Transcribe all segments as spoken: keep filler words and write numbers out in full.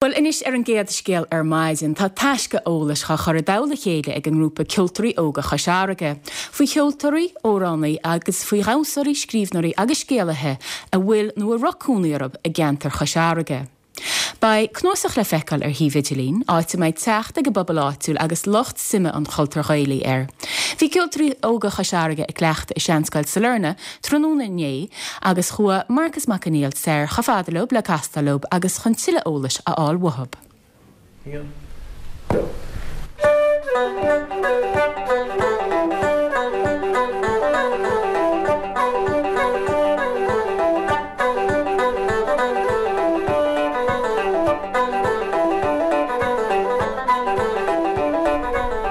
Bhuel anois ar an gcéad scéal ar maidin tá taisce eolais á chur i dtoll a chéile ag an ngrúpa Ceoltóirí Óga Chois Fharraige. Faoi cheoltóirí, amhránaithe agus faoi dhamhsóirí, scríbhneoirí agus scéalaithe a bhfuil nó a raibh cónaí orthu i gceantar Chois Fharraige. Beidh cnuasach le feiceáil ar shuíomh idirlín, áit a mbeidh teacht ag an bpobal áitiúil agus lucht suime an chultúir Ghaelaigh air. Bhí Ceoltóirí Óga Chois Fharraige ag cleachtadh i Seanscoil Sailearna tráthnóna inné agus chuaigh Marcus Mac Conghail soir chomh fada leo le castáil leo agus chun tuilleadh eolais a fháil uathu.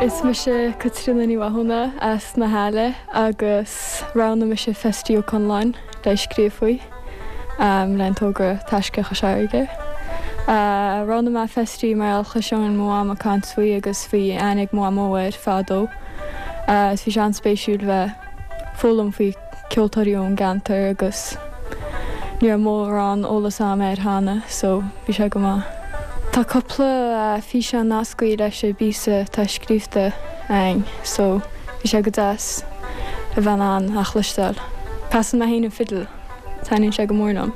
Is mise Caitríona Ní Mhathúna as na hAille agus roghnaigh mise Festy Ó Conláin le scríobh faoi um, le an togra Taisce Chois Fharraige. Uh, Roghnaigh mé Festy mar chloisinn mo mham ag caint faoi agus bhí aithne ag mo mhamó air fadó. Uh, is bhí sé an-spéisiúil bheith foghlaim faoi ceoltóirí ón gceantar agus ní raibh mórán eolas agam air cheana, so bhí sé go maith. Tá cúpla uh, físeán nasctha leis an bpíosa atá scríofa againn, so bhí sé go deas a bheith an a chloisteáil. Casann mé féin an fidil, taitníonn sé go mór liom.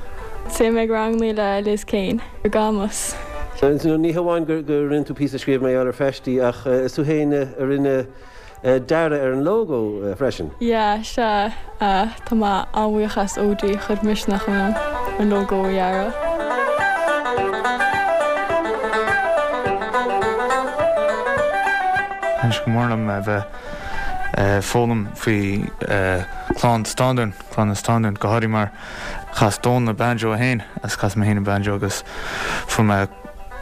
Téim ag ranganna le Liz Kane, ar Gamas. Ní hamháin gur gur rinne tú píosa scríobh mar ar Festy ach is tú féin a rinne dearadh ar an logo freisin. Yeah, sea uh, tá mé an-bhuíoch as Ódí chuir misneach ionam an logo a dhearadh. Thaitin sé go mór liom a bheith foghlaim faoi clann Standún, clann na Standún, go háirithe mar chas Dónal banjo féin agus chas mé féin an banjo agus fuair mé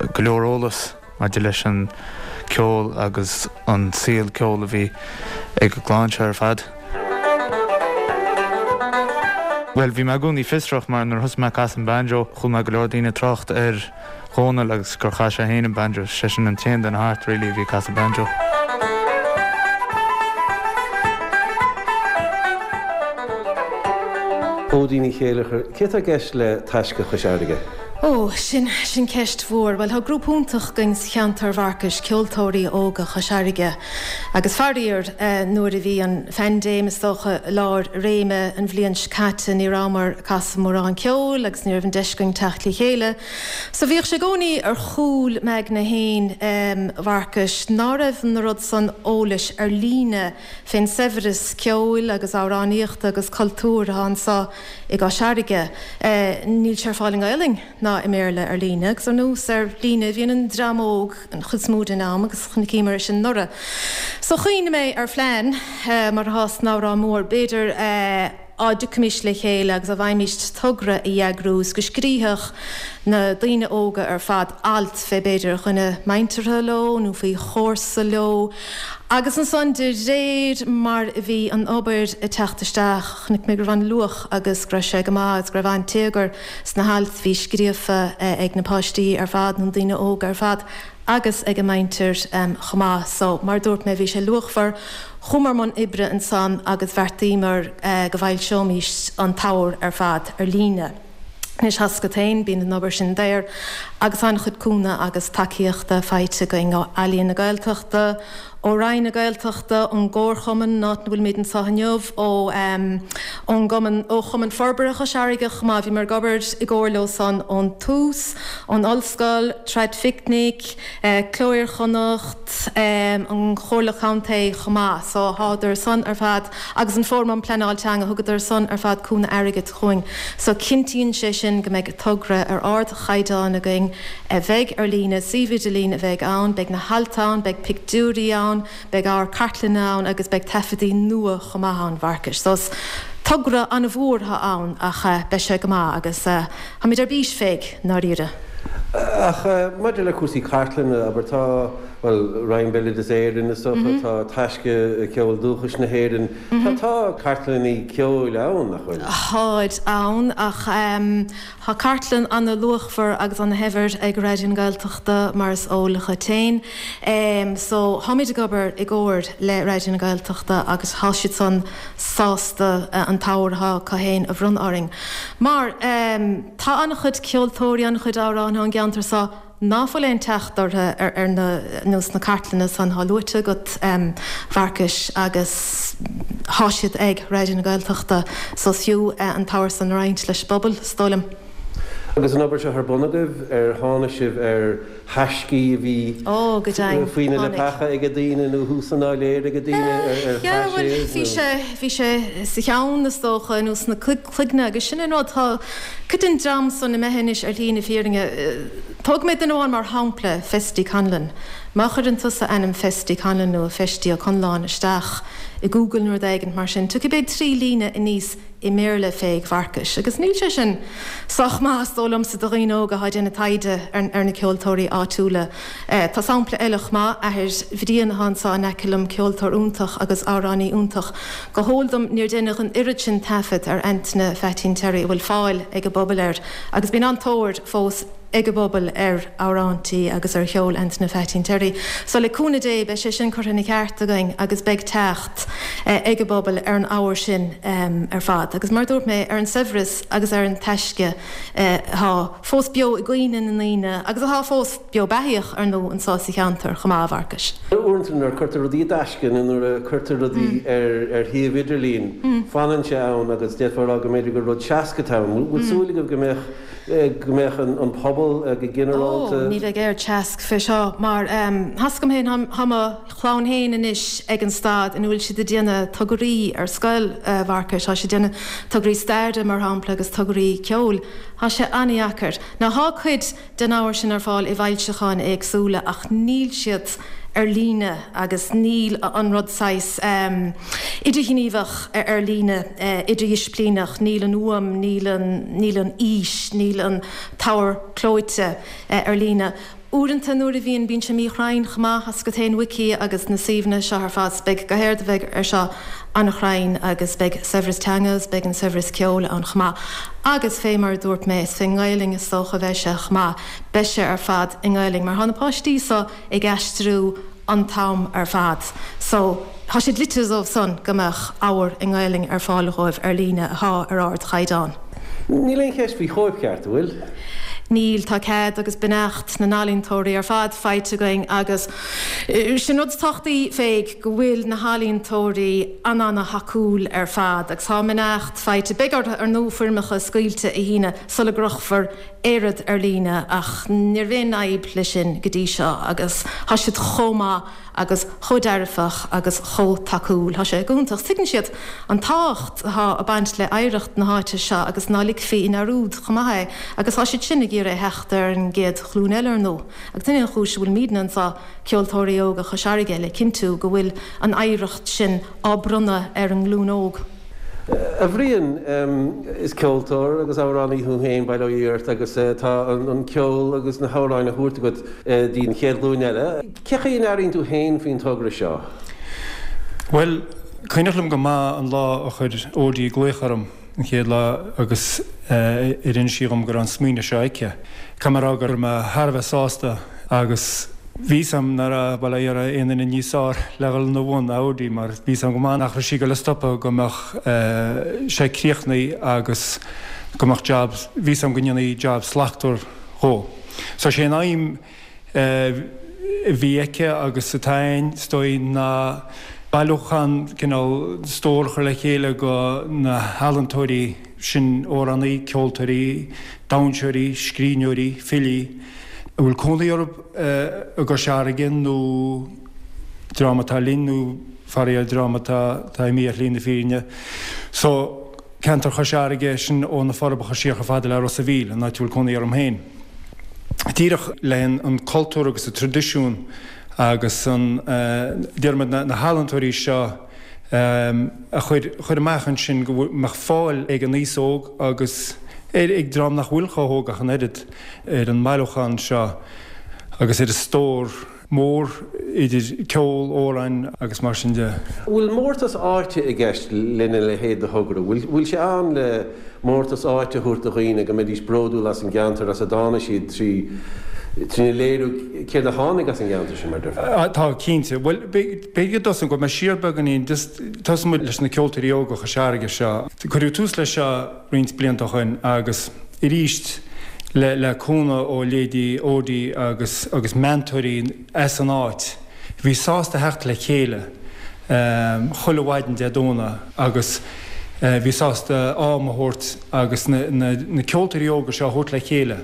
go leor eolas maidir leis an ceol agus an saol ceol a bhí ag an gclann seo ar fad. Well bhí mé i gcónaí fiosrach mar nuair thosaigh mé casadh an banjo, chuala mé go leor daoine trácht ar Dhónal agus gur chas sé féin an banjo, sé sin an t-aon duine thart really a bhí casadh banjo. Ódí Ní Chéileachair, cé atá i gceist le Taisce Chois Fharraige? Ó, sin sin ceist mhór. Well tá grúpa iontach againn sa cheantar Mharcais Ceoltóirí Óga Chois Fharraige. Agus faraor eh, nuair a bhí an phaindéim is dócha lár réime an bhliain seo caite ní rabhamar ag casadh mórán ceoil agus ní raibh an deis againn teacht le chéile. So bhíodh sé i gcónaí ar chúl m'aigne féin um, Mharcais ná raibh an rud san eolais ar líne fén saibhreas ceoil agus amhránaíochta agus cultúr atá anseo i gCois Fharraige. Eh, níl sé ar fáil i nGaelainn ná i mBéarla ar líne, agus ar nós ar líne bhíonn an dream óg an chuid is mó den am agus chonaiceamar é sin anuraidh. So chuimhnigh mé ar phlean eh, mar atá san amhrán mór, b'fhéidir eh, á dtiocfaimis le chéile agus a bhfaighimist togra a eagrú is go scríobhadh na daoine óga ar fad alt fé b'fhéidir dhuine muinteartha leo nó faoi chomharsa leo. Agus ansan de réir mar a bhí an obair ag teacht isteach, chonaic mé go raibh an-luach agus go raibh sé go maith agus go raibh an-téagar sna hailt a bhí scríofa ag na páistí ar fad nó daoine óga ar fad agus ag a muintir um, chomh maith. So mar dúirt mé bhí sé luachmhar chuamar i mbun oibre ansan agus bheartaíomar uh, go bhfoilseoimis an t-ábhar ar fad ar líne. Anois tá a fhios agat féin bíonn an obair sin daor agus an-chuid cúnamh agus tacaíochta faighte againn ó Ealaín na Gaeltachta, ó Roinn na Gaeltachta, ón gComharchumann áit a bhfuilimid anseo inniu, ó um, ón gCumann ó Chumann Forbartha Chois Fharraige chomh maith bhíomar ag obair i gcomhar leo san ón tús, ón ollscoil, Traidphicnic, eh, Cló Iar-Chonnacht, um, an Chomhairle Contae chomh maith, so thádar san ar fad agus an Fóram um Pleanáil Teanga thugadar san ar fad cúnamh airgid chugainn. So cinntíonn sé sin go mbeidh togra ar ardchaighdeán againn a bheidh ar líne, suíomh idirlín a bheidh ann, beidh na hailt ann, beidh pictiúirí ann, beidh ábhar cartlainne ann agus beidh taifeadtaí nua chomh maith ann Mharcais. So is togra an-mhór atá ann ach uh, beidh sé go maith agus uh, táimid ar bís fé ndáiríre. Ach maidir le cúrsaí cartlainne abair tá well Roinn Béaloideas Éireann is dócha tá Taisce Ceol Dúchais na hÉireann Tá tá cartlanna ceoil ann nach bhfuil. Táid ann ach um, Tá cartlann an-luachmhar agus an-shaibhir ag Raidió na Gaeltachta mar is eol dhuit féin. Um, so táimid ag obair i gcomhar le Raidió na Gaeltachta agus tá siad san sásta uh, an t-ábhar atá acu féin a bhronnadh orainn. Mar um, tá an-chuid ceoltóirí an-chuid amhránaithe an gceantar seo ná fuil aon teacht orthu ar ar na nó sna cartlanna san atá luaite agat a Mharcais agus thá siad ag Raidió na Gaeltachta so is fiú an t-ábhar san a roinnt leis an bpobal, is dóigh liom. Agus an obair seo ar bun agaibh, ar tháinig sibh ar thaiscí a bhí Ó, go deimhin, faoi na tháinig. leapacha ag daoine nó thuas san áiléar ag daoine ar Yeah, chaith bhuel, siad bhí nó? sé, bhí sé sa cheann is dócha nó sna cloigne agus sin an rud, tá cuid den dream san imithe anois ar shlí na fírinne. Tógfaidh mé duine amháin mar shampla, Festy Conlon. Má chuireann tusa ainm Festy Conlon nó Feistí Ó Conláin isteach i Google nó rud éigin mar sin, tiocfaidh b'fhéidir trí líne aníos i mBéarla fé a Mharcais. Agus níl sé sin sách maith is dóigh liomsa do dhaoine óga atá ag déanamh taighde ar na ceoltóirí áitiúla. Tá sampla eile chomh maith, athair Bhriain atá anseo in aice liom, ceoltóir iontach agus amhránaí iontach. Go heol dom níor deineadh an oiread sin taifead ar Antaine Pheaitín Terry a bhfuil fáil ag an bpobal air agus bíonn an-tóir fós ag an bpobal ar amhráintí agus ar cheol Antaine Pheaitín Terry. So le cúnamh Dé beidh sé sin curtha ina cheart againn agus beidh teacht ag an bpobal ar an ábhar sin ar fad. Agus mar a dúirt mé, ar an saibhreas agus ar an taisce atá fós beo i gcuimhne na ndaoine agus atá fós beo beathaíoch, ar ndóigh, anseo sa cheantar chomh maith, a Mharcais. Uaireanta nuair a cuirtear rudaí i dtaisce nó nuair a cuirtear rudaí ar ar shuíomh idirlín, fanann sé ann agus d'fhéadfá a rá go mb'fhéidir gur rud seasca atá ann. Bhfuil súil agaibh go mbeadh go mbeadh an pobal go ginearálta. Ó, ní bheidh aon teasc fé seo mar tá's agam féin, tá mo chlann féin anois ag an staid ina bhfuil siad ag déanamh tograí ar scoil, a Mharcais, tá siad ag déanamh tograí staire mar shampla agus tograí ceoil. Tá sé an-dheacair. Now tá cuid den ábhar sin ar fáil i bhfoilseacháin éagsúla ach níl siad ar líne agus níl an rud saghas idirghníomhach ar líne, idirdhisciplíneach, níl an fhuaim, níl an, níl an fhís, níl an t-ábhar clóite ar líne. Uaireanta nuair a bhíonn, bíonn sé míchruinn chomh maith, tá's agat féin Wiki agus na suíomhanna seo ar fad, beidh go héard a bheidh ar seo an-chruinn agus beidh saibhreas teanga agus beidh an saibhreas ceoil ann chomh maith. Agus fé mar a dúirt mé, is fé nGaelainn is dócha a bheidh sé chomh maith, beidh sé ar fad i nGaelainn mar tá na páistí so ag aistriú an t-am ar fad so tá sé dlite dóibh san go mbeadh ábhar i nGaelainn ar fáil dhóibh ar líne athá ar ardchaighdeán. Níl aon cheist faoi chóipcheart, an bhfuil? Níl, tá cead agus beannacht na n-ealaíontóirí ar fad faighte againn agus sin rud is tábhachtaí fé go bhfuil na healaíontóirí an-an-thacúil ar fad agus tá a mbeannacht faighte. Beidh orthu ar ndóigh foirmeacha scaoilte a shíneadh sula gcrochfar aon rud ar líne ach ní raibh aon fhadhb leis sin go dtí seo agus tá siad chomh maith agus chomh dearfach agus chomh tacúil. Tá sé go hiontach. Tuigeann siad an tábhacht atá ag baint le hoidhreacht na háite seo agus ná ligfí i ndearúd chomh maith é agus tá siad sin ag iarraidh a theacht ar an gcéad ghlúin eile ar ndóigh agus sin é an chúis a bhfuilimidne anseo, Ceoltóirí Óga Chois Fharraige, le cinntiú go bhfuil an oidhreacht sin á bronnadh ar an nglúin óg. A Bhriain, is ceoltóir agus amhránaí thú féin, bail ó Dhia ort, agus tá an ceol agus na hamhráin á thabhairt agat dtí an chéad ghlúin eile. Cé chaoi a n-airíonn tú féin faoin togra seo? Bhuel, cuimhneach liom go maith an lá a chuir Odí glaoch orm an chéad lá agus ar inis sí dhom go raibh an smaoineamh seo aici. Caithfidh mé a rá go raibh mé thar a bheith sásta agus bhí 'fhios a'm nach raibh, bhuel, ní raibh aon duine níos fearr le dhul ina bhun ná Odí mar bhí 'fhios a'm go maith nach raibh sí ag dul a stopadh go mbeadh sé críochnaithe agus go mbeadh jab, bhí 'fhios a'm go ndéanfaí jab slachtmhar dhó. So sé an aidhm a bhí aici agus atá a'inn, is dóigh, ná bailiúchán, cineál stór a chur le chéile go na healaíontóirí sin, amhránaí, ceoltóirí, damhsóirí, scríbhneoirí, filí, a bhfuil cónaí orthu i gCois Fharraige nó dream atá linn nó faraor dream atá atá imithe ar shlí na fírinne. So, ceantar Chois Fharraige, sin ó na Forbacha siar chomh fada le Ros a' Mhíl, an áit a bhfuil cónaí orm féin. Díreach le an cultúr agus an traidisiún agus an, déarfaidh muid, na healaíontóirí seo a chur amach ansin go mbeadh fáil ag an aos óg agus ag dream nach bhfuil chomh hóg ach an oiread ar an mbailiúchán seo agus ar an stór mór idir ceol, amhráin agus mar sin de. Bhfuil mórtas áite i gceist lena leithéid de thogra? Bhfuil sé ann le mórtas áite a thabhairt do dhaoine, go mbeidís bródúil as an gceantar as a dtáinig siad trí trína léiriú céard a tháinig as an gceantar sin, mar a déarfá? Tá, cinnte. Bhuel, b'fhéidir go dtosóinn, gabhfaidh mé siar beagáinín, just tosóidh muid leis na Ceoltóirí Óga Chois Fharraige seo. Cuireadh tús leis seo roinnt blianta ó shoin agus aríst le le cúnamh ó leithéidí Odí agus agus meantóirí as an áit, bhí sásta theacht le chéile chuile mhaidin Dé Domhnaigh agus bhí sásta am a thabhairt agus na na na ceoltóirí óga seo a thabhairt le chéile.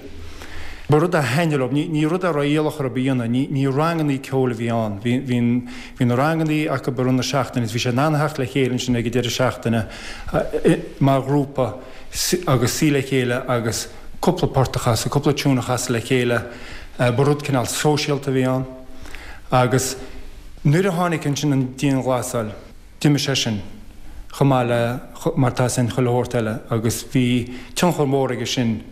Ba rud a thaitnigh leo, ní ní rud a raibh iallach orthu a dhéanamh, ní ní rangannaí ceoil a bhí ann. Bhí bhí bhí na rangannaí acu i rith na seachtaine agus bhí siad in ann a theacht le chéile ansin ag an deireadh seachtaine mar ghrúpa agus suí le chéile agus cúpla port a chasadh, cúpla tiún a chasadh le chéile. Ba rud cineál sóisialta a bhí ann. Agus nuair a tháinig ansin an dianghlasáil, d'imigh sé sin chomh maith le mar atá sin chuile shórt eile agus bhí tionchar mór aige sin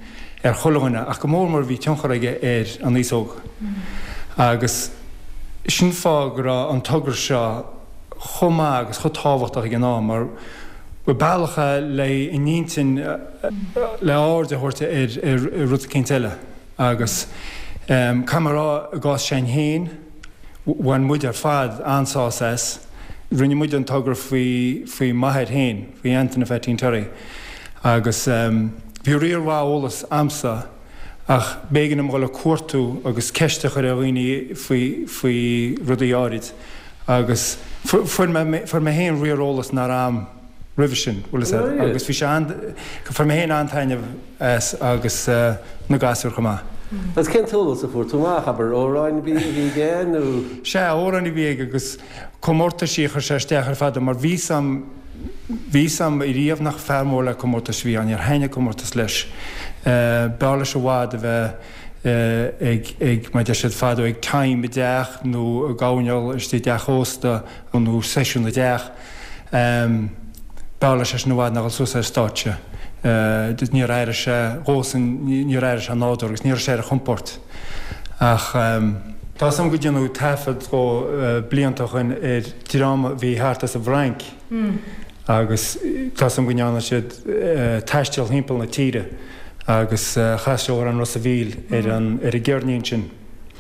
ar chuile dhuine ach go mór mór bhí tionchar aige ar an aos óg. Agus sin fáth go raibh an togra seo chomh maith agus chomh tábhachtach ag an am mar ba bealach é le a n-intinn le aird a thabhairt ar ar rud eicínt eile agus caithfidh mé a rá i gcás s'againn féin bhain muid ar fad an-sásamh as. Rinne muid an togra faoi faoi m'athair féin, faoi Antaine Pheaitín Terry agus bhí riar mhaith eolas a'msa ach b'éigean dom dhul ag cuartú agus ceist a chur ar dhaoine faoi faoi rudaí áirid agus fuair mé fuair mé féin riar eolas nach raibh a'm roimhe sin, bhfuil fhios a'd, agus bhí sé an, fuair mé féin an-taitneamh as agus na gasúir chomh maith. Agus cén t-eolas a fuair tú amach, abair, amhráin a bhí aige nó? Sea, amhráin a bhí aige agus comórtaisí a chuir sé isteach ar fad mar bhí 'fhios a'm, bhí 'fhios a'm ariamh nach fear mór le comórtais a bhí ann, níor thaitnigh comórtas leis. B'fhearr leis i bhfad a bheith ag, ag, mar a deir siad fadó, ag time i dteach nó ag airneál istigh i dteach ósta nó seisiún i dteach. B'fhearr leis é sin i bhfad ná dhul suas ar stáitse. Níor airigh sé dhósan, níor airigh sé nádúrtha agus ní raibh sé ar a chompord. Ach tá 'fhios a'm go déanadh taifead dhó blianta ó shoin ar dream a bhí thart as an bhFrainc agus tá 'fhios a'm go ndearna siad taisteal thimpeall na tíre agus chas sé amhrán Ros a' Mhíl ar an gceirnín sin.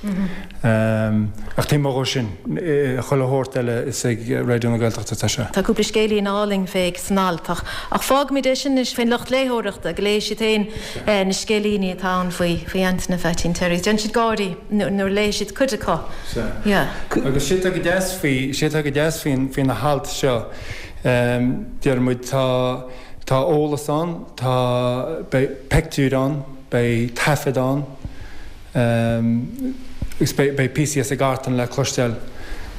Ach taobh amuigh dhó sin, chuile shórt eile is ag Raidió na Gaeltachta atá sé. Tá cúpla scéilín álainn fé san alt ach ach fágfaimid é sin anois faoin lucht léitheoireachta go léifidh siad féin na scéilíní atá ann faoi faoi Antaine Pheaitín Terry. Déanfaidh siad gáirí nuair a léifidh siad cuid acu. Sea. Yeah. Agus sé atá go deas faoi, sé atá go deas faoin faoi na hailt seo, deir muid tá tá eolas ann, tá beidh peictiúir ann, beidh taifead ann, Agus beidh píosaí as an gcartlann le cloisteáil.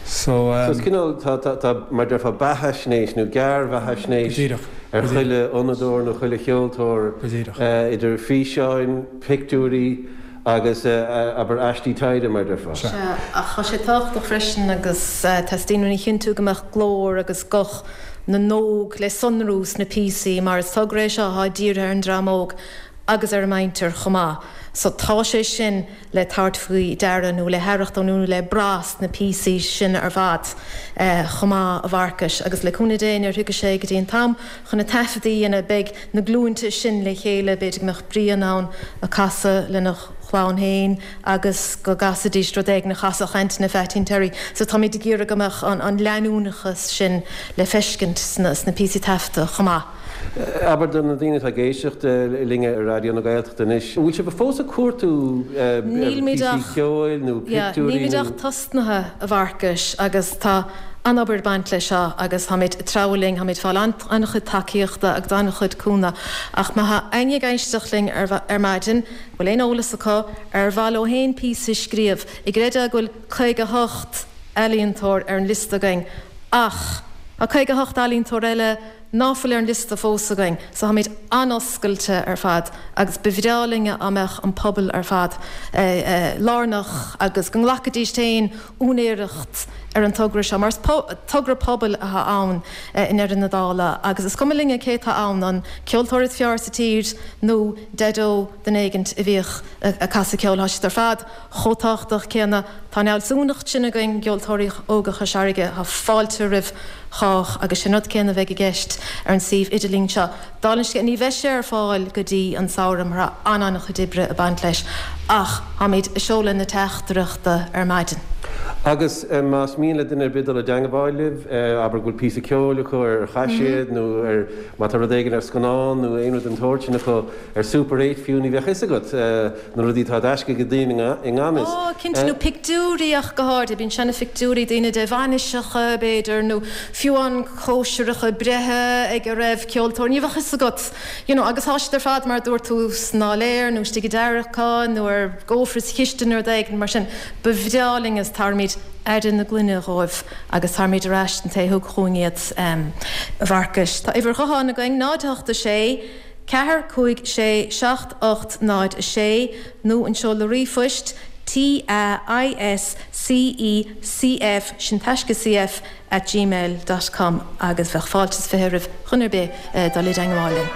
So. So is cineál, tá, tá, tá, mar déarfá beathaisnéis nó gearrbheathaisnéis ar chuile fhonnadóir nó chuile cheoltóir idir físeáin, pictiúirí agus abair aistí taighde mar déarfá. Sea, ach tá sé tábhachtach freisin agus teastaíonn uainn a chinntiú go mbeadh glór agus guth na n-óg le sonrú sna píosaí mar is togra é seo atá dírithe ar an dream óg agus ar a muintir chomh maith. So tá sé sin le tabhairt faoi deara nó le haireachtáil nó le brath sna píosaí sin ar fad chomh maith, a Mharcais. Agus le cúnamh Dé nuair a thiocfaidh sé go dtí an t-am chun na taifeadtaí a dhéanamh beidh na glúinte sin le chéile, b'fhéidir go mbeadh Brian ann ag casadh lena chlann féin agus go gcasfaidís rud éigin a chasfadh Antaine Pheaitín Terry. So táimid ag iarraidh go mbeadh an leanúnachas sin le feiscint sna píosaí taifeadta chomh maith. Abair do na daoine atá ag éisteacht linn ar Raidió na Gaeltachta anois, an bhfuil sibh fós ag cuartú píosaí ceoil nó pictiúirí nó. Nílimid ach tosnaithe, a Mharcais, agus tá an-obair ag baint leis seo agus táimid ag treabhadh linn, táimid ag fáil an-chuid tacaíochta agus an-chuid cúnamh. Ach má tá éinne ag éisteacht linn ar maidin, bhfuil aon eolas acu, ar mhaith leo féin píosa a scríobh, an gcreidfeá go bhfuil caoga a hocht ealaíontóir ar an liosta againn ach tá caoga a hocht ealaíontóir eile ná fuil ar an liosta fós againn so táimid an-oscailte ar fad agus ba bhreá linn dá mbeadh an pobal ar fad lárnach agus go nglacfaidís féin úinéireacht ar an togra seo mar is togra pobail atá ann i ndeireadh na dála agus is cuma linne cé atá ann, an ceoltóir is fearr sa tír nó deaideo duine éigint a bhíodh ag casadh ceoil, tá siad ar fad chomh tábhachtach céanna. Tá an fhealsúnacht sin againn i gCeoltóirí Óga Chois Fharraige, tá fáilte roimh chách agus sin rud céanna a bheidh i gceist ar an suíomh idirlín seo. Dála an scéil, ní bheidh sé ar fáil go dtí an samhradh mar tá an-an-chuid oibre ag baint leis ach táimid ag seoladh na teachtaireachta ar maidin. Agus más mian le duine ar bith dul i dteangmháil libh, abair go bhfuil píosa ceoil acu ar chaiséad nó ar má tá rud éigin ar scannán nó aon rud den tsórt sin acu ar Super Eight fiú, ní bheadh fhios agat na rudaí atá i dtaisce ag daoine i ngan fhios. Ó, cinnte, nó pictiúirí ach go háirithe, bíonn seana-phictiúirí daoine de bhainiseacha, b'fhéidir, nó fiú amháin cóisireacha breithe ag a raibh ceoltóir, ní bheadh fhios agat, you know, agus tá siad ar fad mar a dúirt tú san áiléar nó istigh i dtarraiceán nó ar gcófra sa chistin nó rud éigin mar sin. Ba bhreá linn is tabharfaimid aire na gloine dhóibh agus tabharfaimid ar ais don té a thug chugainn iad, a Mharcais. Tá uimhir ghutháin againn, náid a hocht a sé, ceathair cúig sé seacht ocht náid a sé, nó an seoladh ríomhphoist, T A I S C E C F, sin Taisce CF, at gmail dot com agus bheadh fáilte is fiche roimh dhuine ar bith dul i dteangmháil linn.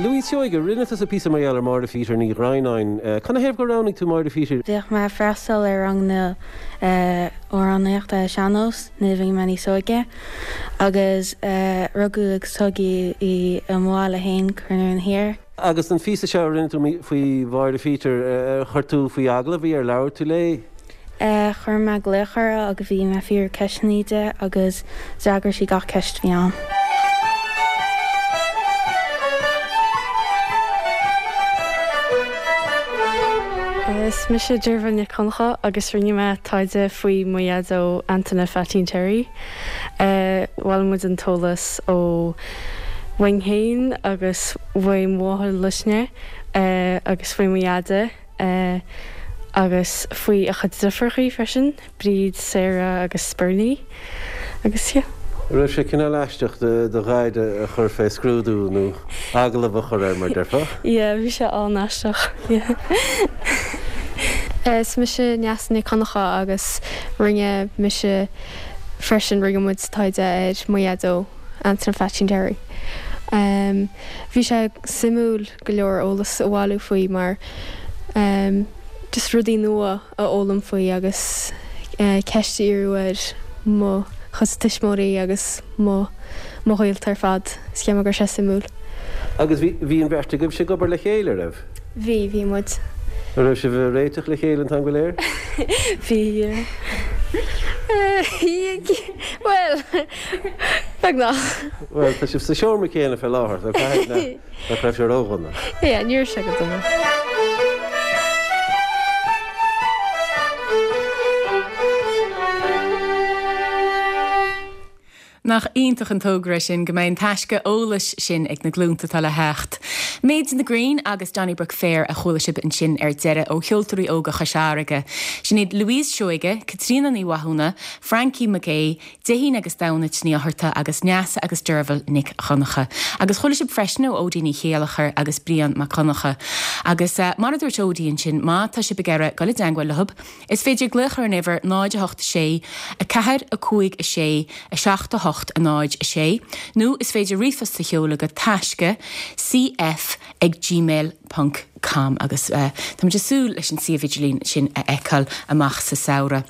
Louise Seoige, rinne tusa píosa mar gheall ar Máire Phheter Ní Dhroighneáin. Canathaobh gur roghnaigh tú Máire Phheter? Bhíodh mé ag freastal ar ranganna amhránaíochta sean-nós nuair a bhí mé níos óige agus rugadh agus tógadh í i mo bhaile féin, Cor an Iarainn Thiar. Agus an phíosa seo a rinne tú faoi Mháire Phheter, ar chuir tú faoi agallamh í, ar labhair tú léi? Chuir mé glaoch uirthi agus bhí mé ag fiafraí ceisteanna di agus d'fhreagair sí gach ceist a bhí ann. Is mise Deirbhile Nic Dhonncha agus rinne mé taighde faoi mo dhaideo Antaine Pheaitín Terry. Bhailigh muid an t-eolas ó uainn féin agus uaidh mo mháthair Luisne agus faoi mo dhaide agus faoi a chuid deirfiúrachaí freisin, Bríd, Sarah agus Bernie agus yeah. An raibh sé cineál aisteach do dhaid a chur fé scrúdú nó agallamh a chur air mar déarfá? Yeah, bhí sé an-aisteach, yeah. Is mise Neasa Nic Dhonncha agus rinne mise freisin, rinne muid taighde ar mo dhaideo, Antaine Pheaitín Terry. Bhí sé suimiúil go leor eolas a bhailiú faoi mar just rudaí nua a fhoghlaim faoi agus ceist a iarraidh ar mo chuid tuismitheoirí agus mo mo ghaolta ar fad. Is cheap mé go raibh sé suimiúil. Agus bhí bhí an bheirt agaibhse ag obair le chéile, raibh? Bhí, bhí muid. An raibh sibh ag réiteach le chéile an t-am go léir? Bhí, yeah. Bhuel, beagnach. Bhuel, tá sibh sa seomra céanna fé láthair, so caithfidh nach raibh sé ródhona. Yeah, ní raibh sé go dona. Nach iontach an togra sin go mbeidh an taisce eolais sin ag na glúnta atá le theacht. Maids in the Green agus Donnybrook Fair a chuala sibh ansin ar deireadh ó Cheoltóirí Óga Chois Fharraige. Sin iad Louise Seoige, Caitríona Ní Mhathúna, Frankie McGay, Déithín agus Damhnait Ní Fhátharta agus Neasa agus Deirbhile Nic Dhonncha. Agus chuala sibh freisin ó Odí Ní Chéilleachair agus Brian Mac Donncha. Agus mar a dúirt Odí ansin, má tá sibh ag iarraidh dul i dteangmháil leo, Is féidir glaoch ar an uimhir náid a hocht sé, a ceathair, a cúig, a sé, a seacht, a hocht, a náid, a sé, nó is féidir ríomhphost a sheoladh go taisce cf ag gmail ponc com agus táimid ag súil leis an suíomh idirlín sin a fheiceáil amach sa samhradh.